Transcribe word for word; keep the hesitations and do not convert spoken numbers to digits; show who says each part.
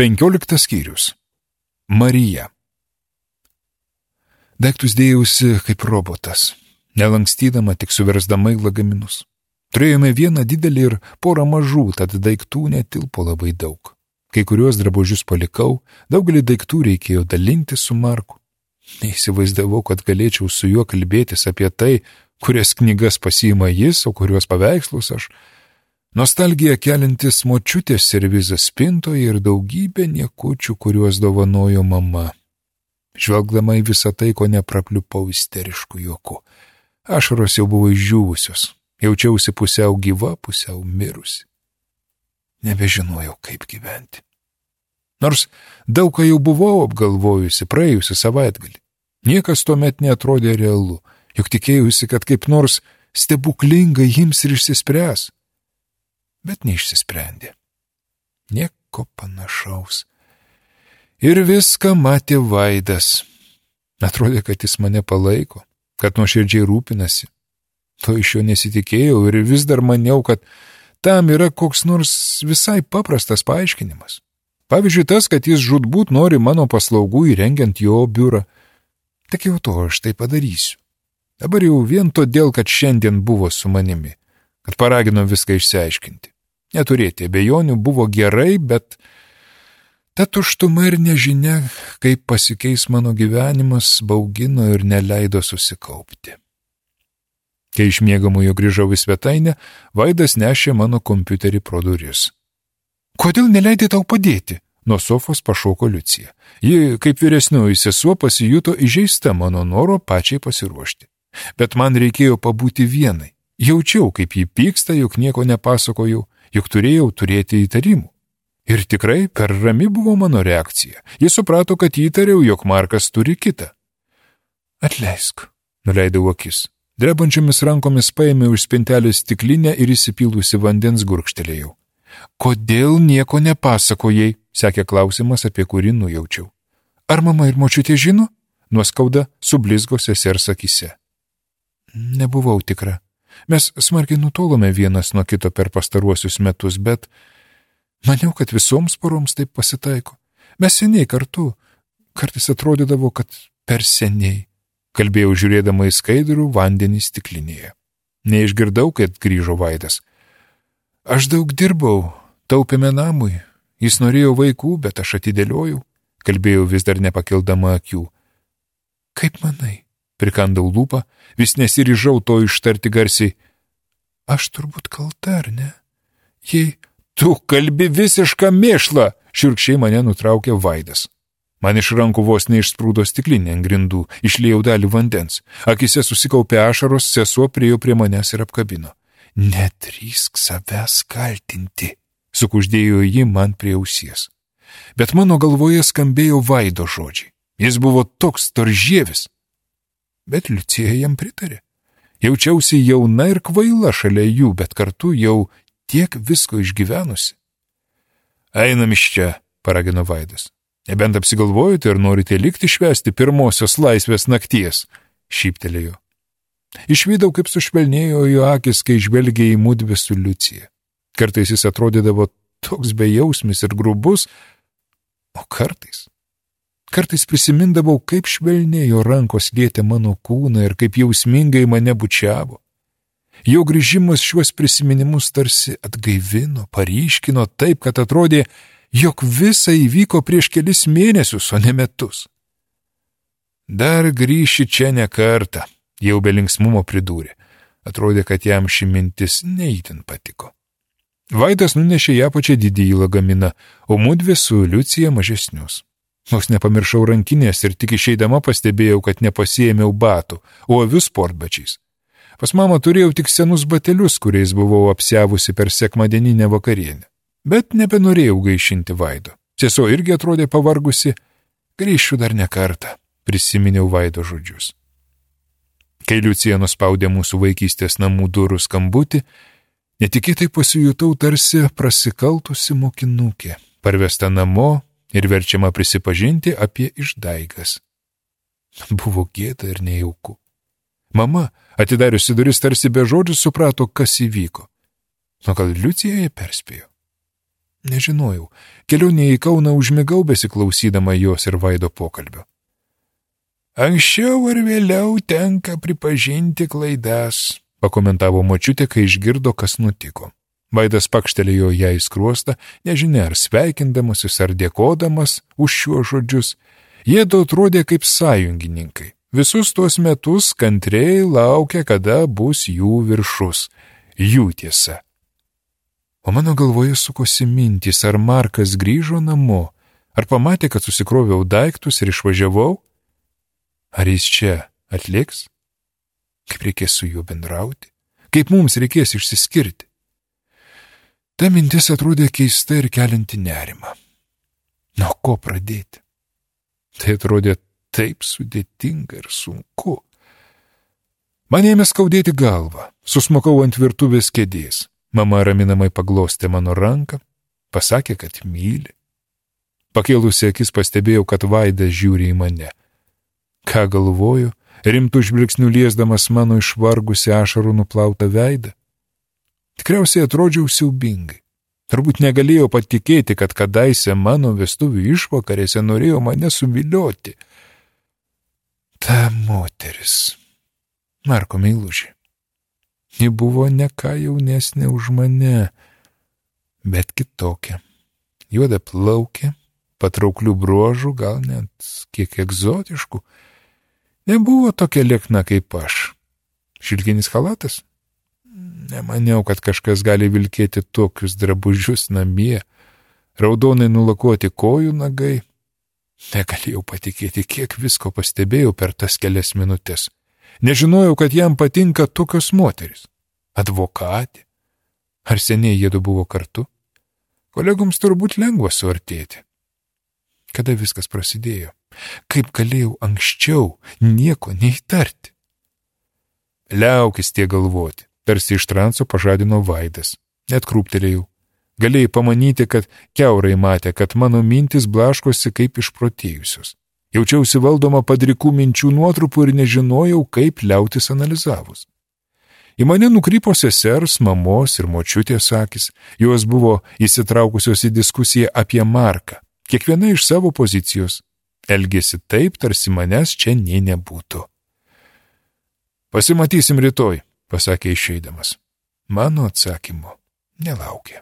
Speaker 1: Penkioliktas skyrius. Marija. Daiktus dėjausi kaip robotas, nelankstydama, tik suversdama į lagaminus. Turėjome vieną didelį ir porą mažų, tad daiktų netilpo labai daug. Kai kuriuos drabužius palikau, daugelį daiktų reikėjo dalinti su Marku. Neįsivaizdavau, kad galėčiau su juo kalbėtis apie tai, kurias knygas pasiima jis, o kuriuos paveikslus aš. Nostalgija keliantis močiutės servizas spintoje ir daugybė niekučių, kuriuos dovanojo mama. Žvelgdama į visą tai, ko neprapliupau isteriškų juokų. Ašaros jau buvo išdžiūvusios. Jaučiausi pusiau gyva, pusiau mirusi. Nebežinojau, kaip gyventi. Nors daug ką jau buvau apgalvojusi praėjusi savaitgalį. Niekas tuomet neatrodė realu, juk tikėjusi, kad kaip nors stebuklingai ims ir išsispręs. Bet neišsisprendė. Nieko panašaus. Ir viską matė Vaidas. Atrodė, kad jis mane palaiko, kad nuoširdžiai rūpinasi. To iš jo nesitikėjau ir vis dar maniau, kad tam yra koks nors visai paprastas paaiškinimas. Pavyzdžiui, tas, kad jis žūtbūt nori mano paslaugų įrengiant jo biurą. Tik jau to aš tai padarysiu. Dabar jau vien todėl, kad šiandien buvo su manimi, kad paragino viską išsiaiškinti. Neturėti abejonių buvo gerai, bet ta tuštuma ir nežinia, kaip pasikeis mano gyvenimas, baugino ir neleido susikaupti. Kai iš miegamojo grįžau į svetainę, Vaidas nešė mano kompiuterį pro duris. Kodėl neleidai tau padėti? Nuo sofos pašoko Liucija. Ji, kaip vyresnioji sesuo, pasijuto įžeista mano noro pačiai pasiruošti. Bet man reikėjo pabūti vienai. Jaučiau, kaip jį pyksta, juk nieko nepasakojau, juk turėjau turėti įtarimų. Ir tikrai per rami buvo mano reakcija. Jis suprato, kad įtariau, jog Markas turi kitą. Atleisk, nuleidau akis. Drebančiomis rankomis paėmiau iš spintelės stiklinę ir įsipylusi vandens gurkštelėjau. Kodėl nieko nepasakojai, sekė klausimas, apie kurį nujaučiau. Ar mama ir močiutė žino? Nuoskauda sublizgo sesers akyse. Nebuvau tikra. Mes smarkiai nutolome vienas nuo kito per pastaruosius metus, bet maniau, kad visoms poroms taip pasitaiko. Mes seniai kartu. Kartais atrodydavo, kad per seniai. Kalbėjau žiūrėdama į skaidrų vandenį stiklinėje. Neišgirdau, kad grįžo Vaidas. Aš daug dirbau, taupėme namui. Jis norėjo vaikų, bet aš atidėliojau. Kalbėjau vis dar nepakildama akių. Kaip manai? Prikandau lūpą, vis nesiryžau to ištarti garsiai. Aš turbūt kalta, ar ne? Jei... Tu kalbi visišką mėšlą, šiurkščiai mane nutraukė Vaidas. Man iš rankų vos neišsprūdo stiklinė ant grindų, išliejau dalį vandens. Akise susikaupė ašaros, sesuo priėjo prie manęs ir apkabino. Nedrįsk savęs kaltinti, sukuždėjo ji man prie ausies. Bet mano galvoje skambėjo Vaido žodžiai. Jis buvo toks storžievis. Bet Liucija jam pritarė. Jaučiausi jauna ir kvaila šalia jų, bet kartu jau tiek visko išgyvenusi. Einam iš čia, paragino Vaidas. Nebent apsigalvojote ir norite likti švęsti pirmosios laisvės nakties, šyptelėjo. Išvydau, kaip sušvelnėjo jo akis, kai žvelgė į mudvi su Liucija. Kartais jis atrodydavo toks bejausmis ir grubus, o kartais. Kartais prisimindavau, kaip švelnėjo rankos lietė mano kūną ir kaip jausmingai mane bučiavo. Jo grįžimas šiuos prisiminimus tarsi atgaivino, paryškino taip, kad atrodė, jog visa įvyko prieš kelis mėnesius, o ne metus. Dar grįši čia ne kartą, jau be linksmumo pridūrė. Atrodė, kad jam ši mintis neįtin patiko. Vaidas nunešė ją pačią didįjį lagaminą, o mudvi su Liucija mažesnius. Nors nepamiršau rankinės ir tik išeidama pastebėjau, kad nepasiėmiau batų, o aviu sportbačiais. Pas mamą turėjau tik senus batelius, kuriais buvau apsiavusi per sekmadieninę vakarienę. Bet nebenorėjau gaišinti Vaido. Sesuo irgi atrodė pavargusi. Grįšiu dar ne kartą, prisiminiau Vaido žodžius. Kai Liucija nuspaudė mūsų vaikystės namų durų skambutį, netikėtai pasijutau tarsi prasikaltusi mokinukė, parvesta namo ir verčiama prisipažinti apie išdaigas. Buvo gėda ir nejauku. Mama, atidariusi duris, tarsi be žodžių suprato, kas įvyko. O gal Liucija ją perspėjo? Nežinojau, kelionėje į Kauną užmigau besiklausydama jos ir Vaido pokalbio. Anksčiau ar vėliau tenka pripažinti klaidas, pakomentavo močiutė, kai išgirdo, kas nutiko. Vaidas pakštelėjo ją į skruostą, nežinia ar sveikindamasis ar dėkodamas už šiuos žodžius. Jiedu atrodė kaip sąjungininkai. Visus tuos metus kantriai laukia, kada bus jų viršus, jų tiesa. O mano galvoje sukosi mintys, ar Markas grįžo namo, ar pamatė, kad susikroviau daiktus ir išvažiavau, ar jis čia atliks, kaip reikės su juo bendrauti, kaip mums reikės išsiskirti. Ta mintis atrodė keista ir kelinti nerimą. Nuo ko pradėti? Tai atrodė taip sudėtinga ir sunku. Man ėmė skaudėti galvą, susmukau ant virtuvės kėdės. Mama raminamai paglostė mano ranką, pasakė, kad myli. Pakėlusi akis pastebėjau, kad Vaidas žiūri į mane. Ką galvoju, rimtų žvilgsnių liesdamas mano išvargusi ašarų nuplautą veidą? Tikriausiai atrodžiau siaubingai. Turbūt negalėjau patikėti, kad kadaise mano vestuvių išvakarėse norėjo mane suvilioti. Ta moteris, Marko meilužė. Ji buvo ne ką jaunesnė už mane, bet kitokia. Juoda plaukė, patrauklių bruožų, gal net kiek egzotiškų. Nebuvo tokia liekna kaip aš. Šilkinis chalatas? Nemaniau, kad kažkas gali vilkėti tokius drabužius namie. Raudonai nulakuoti kojų nagai. Negalėjau patikėti, kiek visko pastebėjau per tas kelias minutės. Nežinojau, kad jam patinka tokios moteris. Advokatė. Ar seniai jiedu buvo kartu? Kolegoms turbūt lengva suartėti. Kada viskas prasidėjo? Kaip galėjau anksčiau nieko neįtarti? Liaukis tie galvoti, tarsi iš transo pažadino Vaidas. Net krūptelėjau. Galėjai pamanyti, kad kiaurai matė, kad mano mintis blaškosi kaip išprotėjusios. Jaučiausi valdoma padrikų minčių nuotrupų ir nežinojau, kaip liautis analizavus. Į mane nukrypo sesers, mamos ir močiutės akis. Jos buvo įsitraukusios į diskusiją apie Marką, kiekviena iš savo pozicijos. Elgėsi taip, tarsi manęs čia nė nebūtų. Pasimatysim rytoj, pasakė išeidamas. Mano atsakymo nelaukė.